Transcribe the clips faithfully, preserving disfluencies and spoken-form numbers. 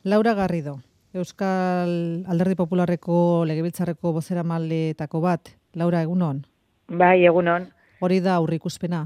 Laura Garrido, Euskal Alderdi Popularreko Legebiltzarreko bozeramaileetako bat. Laura, egunon? Bai, egunon. Hori da aurreikuspena?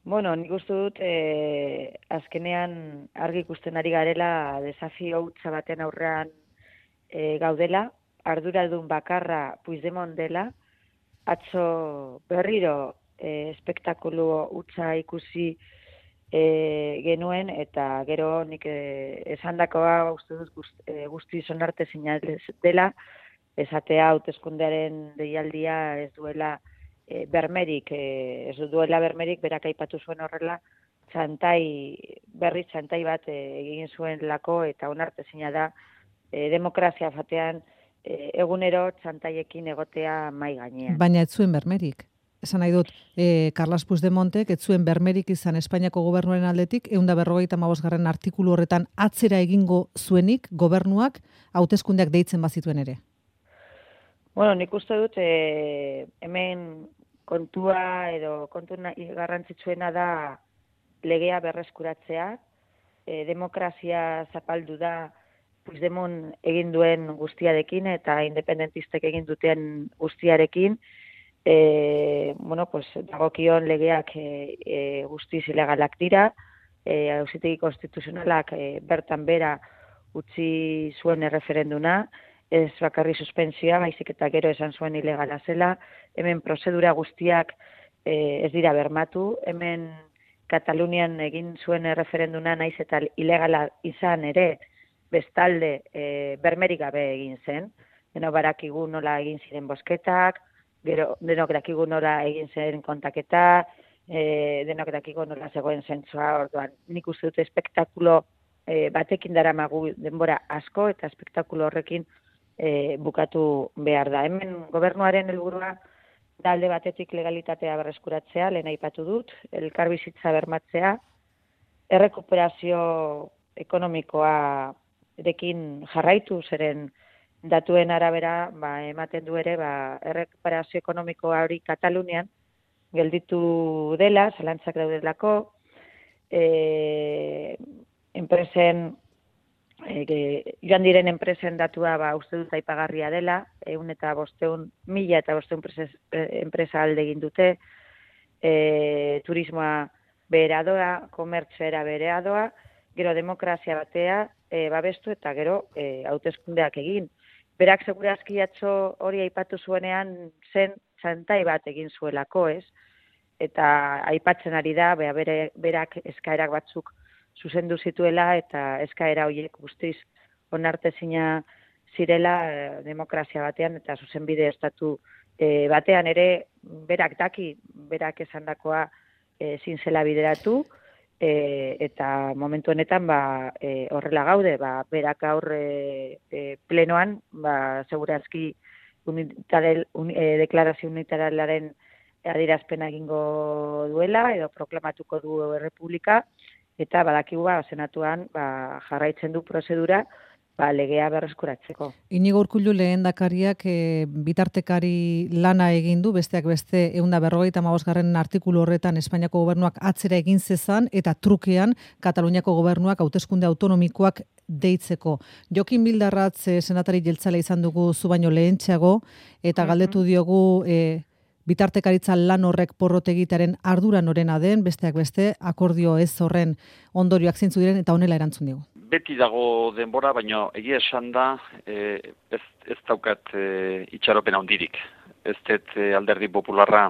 Bueno, nik uste dut eh, azkenean argi ikusten ari garela desafio hutsa baten aurrean eh, gaudela, arduradun bakarra Puigdemont dela, atzo berriro eh, espektakulu hutsa ikusi eh, genuen, eta gero nik eh, esandakoa uste dut guzti, eh, guzti sonarte zinez dela, esatea hauteskundearen deialdia ez duela e, bermerik, e, ez duela bermerik, berak aipatu zuen horrela, txantai, berri txantai bat e, egin zuen lako, eta onartezina da e, demokrazia batean e, egunero txantaiekin egotea mai gainean. Baina ez zuen bermerik. Esan nahi dut, eh, Carles Puigdemontek ez zuen bermerik izan Espainiako gobernuaren aldetik, ehun eta berrogeita hamabosgarren artikulu horretan atzera egingo zuenik gobernuak hauteskundeak deitzen bazituen ere. Bueno, nik uste dut e, hemen kontua edo kontu garrantzitsuena da legea berreskuratzea, e, demokrazia zapaldu da Puigdemont egin duen guztiarekin eta independentistek egin duten guztiarekin, e, bueno, pues, dagokion legeak e, e, guztiz ilegalak dira, e, auzitegi konstituzionalak e, bertan bera utzi zuen erreferenduna, ez bakarri suspensioa, baizik eta gero esan zuen ilegala zela, hemen prozedura guztiak e, ez dira bermatu, hemen Katalunian egin zuen referenduna naiz eta ilegala izan ere, bestalde e, bermerik gabe egin zen, denok badakigu nola egin ziren bozketak, gero denok dakigu nola egin zen kontaketa, e, denok dakigu nola zegoen zentzua, orduan nik uste dut espektakulo e, batekin daramagu denbora asko, eta espektakulo horrekin E, bukatu behar da. Hemen gobernuaren helburua da alde batetik legalitatea berreskuratzea, lehen aipatu dut, elkarbizitza bermatzea, errekuperazio ekonomikoa erekin jarraitu, zeren datuen arabera ba, ematen du ere ba, errekuperazio ekonomikoa hori Katalunian gelditu dela, zalantzak daudelako, e, enpresen E, joan diren enpresen datua ba, uste dut aipagarria dela, ehun eta bosteun, mila eta bosteun enpresa alde egin dute, e, turismoa berea doa, komertzera berea doa, gero demokrazia batea e, babestu eta gero e, hauteskundeak egin. Berak segurazki atzo hori aipatu zuenean zen txantai bat egin zuelako, ez? Eta aipatzen ari da, bera, bere, berak eskaerak batzuk zuzendu zituela eta eskaera horiek guztiz onartezina zirela eh, demokrazia batean eta zuzenbide estatu eh, batean ere berak daki, berak esandakoa eh, ezin zela bideratu eh, eta momentu honetan ba, eh, horrela gaude, ba, berak gaur eh, eh, plenoan ba, segurazki unitarel, un, eh, deklarazio unitaralaren adierazpena egingo duela edo proklamatuko du errepublika, eta badakigu ba, senatuan ba, jarraitzen du prozedura ba, legea berreskuratzeko. Inigo Urkullu lehendakariak e, bitartekari lana egin du, besteak beste ehun eta berrogeita hamabosgarren artikulu horretan Espainiako gobernuak atzera egin zezan eta trukean Kataluniako gobernuak hauteskunde autonomikoak deitzeko. Jokin Bildarratz e, senatari jeltzale izan dugu zu baino lehentxeago, eta galdetu diogu e, bitartekaritza lan horrek porrot egitearen ardura norena den, besteak beste, akordio ez horren ondorioak zeintzu diren, eta honela erantzun digu. Beti dago denbora, baina egia esan da, e, ez, ez daukat e, itxaropen handirik. Ez dut e, alderdi popularra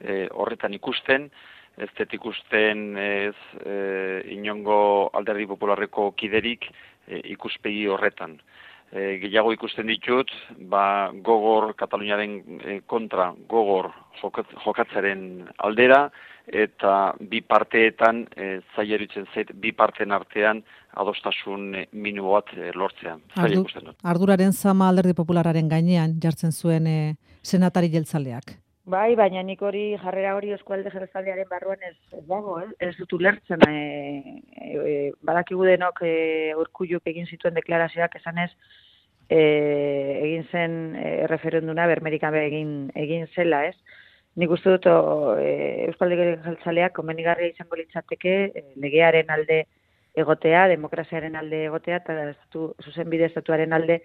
e, horretan ikusten, ez dut ikusten ez e, inongo alderdi popularreko kiderik e, ikuspegi horretan. E, gehiago ikusten ditut, ba, gogor Kataluniaren e, kontra gogor jokatzaren aldera, eta bi parteetan e, zaileritzen zait, bi parteen artean adostasun e, minimo bat e, lortzea. Ardu, arduraren zama alderdi populararen gainean jartzen zuen e, senatari jeltzaleak. Bai, baina nik hori jarrera hori Eusko Alderdi Jeltzalearen barruan ez, ez dago, eh? Ez dut ulertzen. E, e, badakigu denok e, Urkulluk egin zituen deklarazioak esanez e, egin zen e, referenduna bermerik gabe egin egin zela, ez? Nik uste dut o, e, Eusko Alderdi Jeltzaleak komenigarria izango litzateke e, legearen alde egotea, demokraziaren alde egotea, eta estatu, zuzenbide estatuaren alde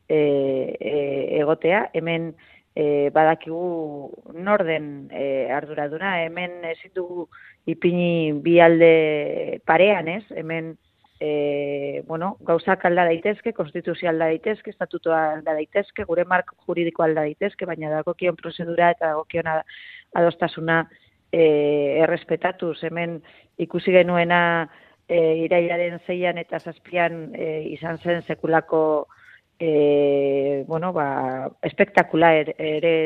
e, e, egotea. Hemen e, badakigu norden e, arduraduna, hemen ezin dugu ipini bi alde parean, ez? Hemen E, bueno, gauzak alda daitezke, konstituzio alda daitezke, estatutoa alda daitezke, gure marko juridiko alda daitezke, baina dagokion prozedura eta dagokion adostasuna e, errespetatuz. Hemen ikusi genuena e, irailaren zeian eta zazpian e, izan zen sekulako e, bueno, ba, espektakula ere, ere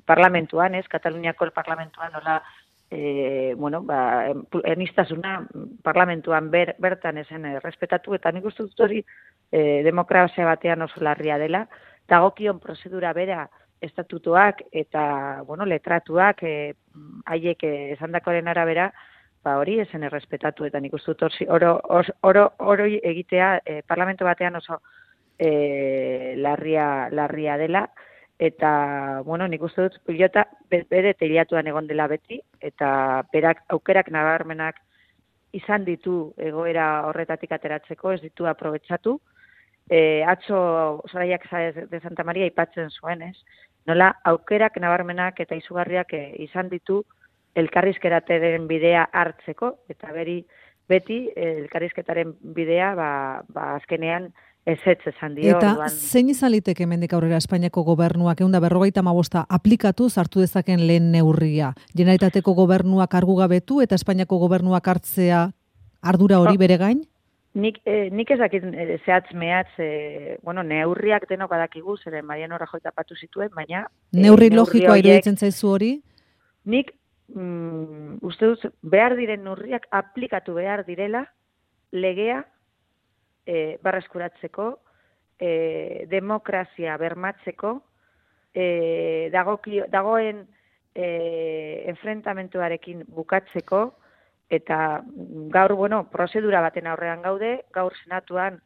parlamentuan, ez, Kataluniako parlamentuan nola E, bueno, ba, erniztasuna parlamentuan ber, bertan esen errespetatu, eta nik uste dut hori e, demokrazia batean oso larria dela, dagokion prozedura bera estatutuak eta, bueno, letratuak haiek e, esandakoaren arabera, ba, hori esen errespetatu, eta nik uste dut oro, oro, oro egitea e, parlamentu batean oso e, larria, larria dela, eta, bueno, nik uste dut pilota bere teiliatuan egon dela beti, eta berak aukerak nabarmenak izan ditu egoera horretatik ateratzeko, ez ditu aprobetxatu. E, atzo Soraiak de Santa Maria aipatzen zuen, ez? Nola aukerak nabarmenak eta izugarriak e, izan ditu elkarrizketaren bidea hartzeko, eta beri beti e, elkarrizketaren bidea ba, ba azkenean ezetz esan dio. Eta orduan, zein izan liteke hemendik aurrera Espainiako gobernuak ehun eta berrogeita hamabosta aplikatu hartu dezaken lehen neurria? Generalitateko gobernuak argugabetu eta Espainiako gobernuak hartzea ardura hori bere gain? Nik, eh, nik ez dakit eh, zehatz mehatz, eh, bueno, neurriak denok badakigu, zeren Mariano Rajoy tapatu zituen, baina... Eh, Neurri logikoa iruditzen zaizu hori? Nik mm, uste dut behar diren neurriak aplikatu behar direla legea E, barreskuratzeko, e, demokrazia bermatzeko, e, dagoki, dagoen e, enfrentamentuarekin bukatzeko, eta gaur, bueno, prozedura baten aurrean gaude, gaur senatuan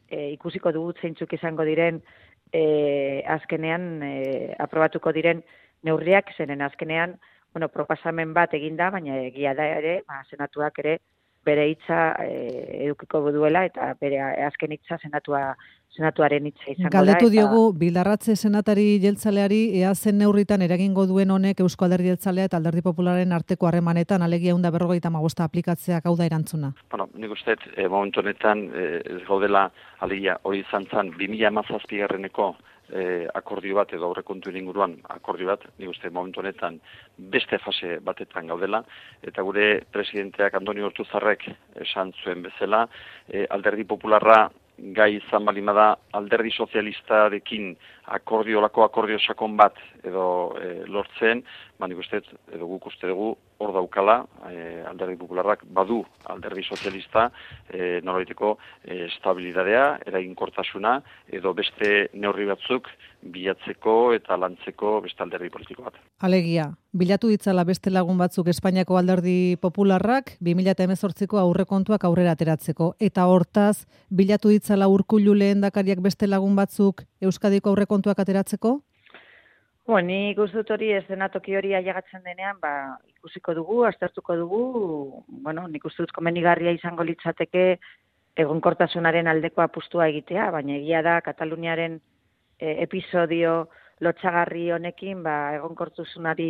e, ikusiko dugu zeintzuk izango diren e, azkenean e, aprobatuko diren neurriak, zenen azkenean, bueno, proposamen bat eginda, baina egia da ere, ba, senatuak ere, bere hitza e, edukiko duela eta bere azken hitza senatua senatuaren hitza izango da. Galdetu diogu Bildarratze senatari jeltzaleari ea zen neurritan eragingo duen honek Eusko Alderdi Jeltzalea eta Alderdi Popularraren arteko harremanetan alegia ehun eta berrogeita hamabosta aplikatzeak hau da erantzuna. Bueno, nik uste e, momentu honetan e, ez gaudela alegia hori izan zen bi mila hamazazpigarreneko E, akordio bat edo aurrekontuen inguruan akordio bat, nik uste momentu honetan beste fase batetan gaudela, eta gure presidenteak Andoni Ortuzarrek esan zuen bezala, e, Alderdi Popularra gai izan balimada Alderdi Sozialistarekin akordio lako akordio sakon bat edo e, lortzen, ba nik uste edo guk uste dugu hor daukala, e, Alderdi Popularrak badu Alderdi Sozialista e, nolaiteko e, estabilidadea, eraginkortasuna edo beste neurri batzuk bilatzeko eta lantzeko beste alderdi politiko bat. Alegia, bilatu ditzala beste lagun batzuk Espainiako Alderdi Popularrak bi mila hemezortziko aurrekontuak aurrera ateratzeko, eta hortaz bilatu ditzala Urkullu lehendakariak beste lagun batzuk Euskadiko aurrekontuak ateratzeko? Bueno, nik uste dut hori ez denatoki hori ailegatzen denean, ba, ikusiko dugu, aztertuko dugu, bueno, nik uste dut komenigarria izango litzateke egonkortasunaren aldeko apustua egitea, baina egia da Kataluniaren e, episodio lotsagarri honekin, ba, egonkortasunari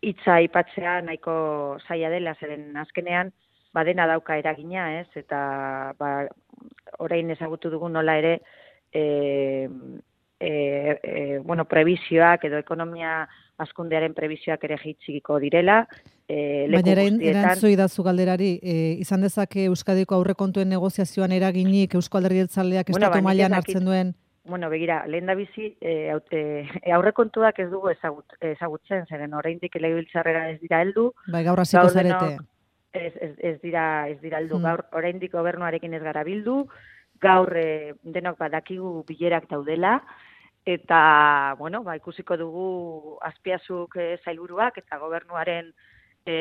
hitza aipatzea nahiko zaila dela, zeren azkenean, ba, dena dauka eragina, ez, eta ba, orain ezagutu dugu nola ere, e, E, e, bueno, prebizioak edo ekonomia hazkundearen prebizioak ere jaitsiko direla. E, Baina erantzoi dazu galderari, e, izan dezake Euskadiko aurrekontuen negoziazioan eraginik Eusko Alderdi Jeltzaleak estatu bueno, mailan hartzen duen? Bueno, begira, lehendabizi e, e, aurrekontuak ez dugu ezagut, ezagutzen, zeren oraindik legebiltzarrera ez dira heldu. Bai, gaur hasiko zarete. Ez, ez, ez dira ez dira heldu. Hmm. Gaur oraindik gobernuarekin ez gara bildu. Gaur e, denok badakigu bilerak daudela. Eta, bueno, ba, ikusiko dugu Azpiazuk e, zailburuak eta gobernuaren e,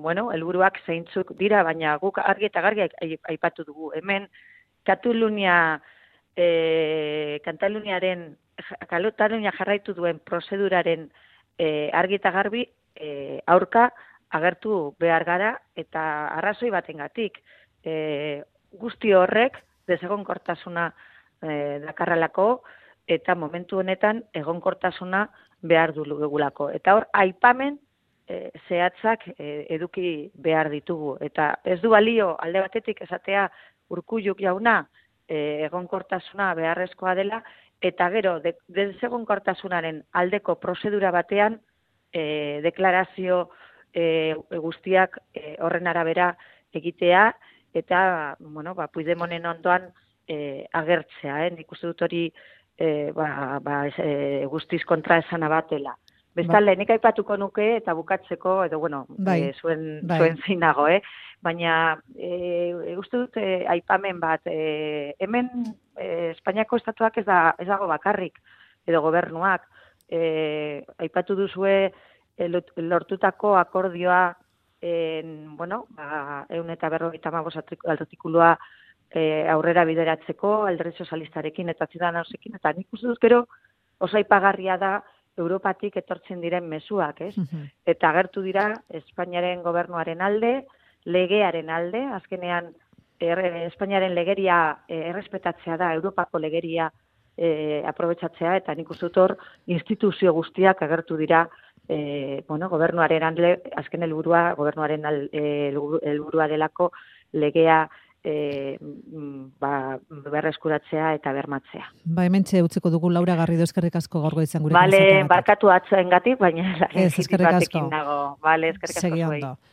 bueno, helburuak zeintzuk dira, baina guk argi eta gargi aipatu dugu. Hemen Katalunia e, Kataluniaren Katalunia jarraitu duen prozeduraren e, argi eta garbi e, aurka agertu behar gara eta arrazoi batengatik. e, guzti horrek desegonkortasuna e, dakarralako, eta momentu honetan egonkortasuna behar dugulako. Eta hor, aipamen e, zehatzak e, eduki behar ditugu. Eta ez du balio alde batetik esatea Urkulluk jauna e, egonkortasuna beharrezkoa dela, eta gero, de, desegonkortasunaren aldeko prozedura batean e, deklarazio e, guztiak e, horren arabera egitea, eta, bueno, ba, Puigdemonen ondoan e, agertzea, eh? Nik uste dut hori e, ba, ba, e, guztiz kontra esana batela. Bestalde, nik aipatuko nuke eta bukatzeko, edo, bueno, bai, e, zuen, bai. zuen zeinago, eh? Baina, e, uste dut e, aipamen bat, e, hemen e, Espainiako estatuak ez, da, ez dago bakarrik, edo gobernuak, e, aipatu duzue e, lortutako akordioa, en, bueno, ba, eun eta berrogeita hamabost artikulua e, aurrera bideratzeko, Alderdi Sozialistarekin eta Ciudadanosekin, eta nik uste dut gero oso aipagarria da Europatik etortzen diren mezuak, ez? Mhm. Eta agertu dira Espainiaren gobernuaren alde, legearen alde, azkenean er, Espainiaren legeria e, errespetatzea da, Europako legeria e, aprobetxatzea, eta nik uste dut hor instituzio guztiak agertu dira e, bueno, gobernuaren alde, azken helburua gobernuaren helburua delako legea e, ba, berreskuratzea eta bermatzea. Ba, hementxe utziko dugu Laura Garrido, eskerrik asko gaurko izan gurekin. Bale, barkatu atzoengatik, baina ez, eskerrik asko. dago. Bale, eskerrik asko. Segi ondo.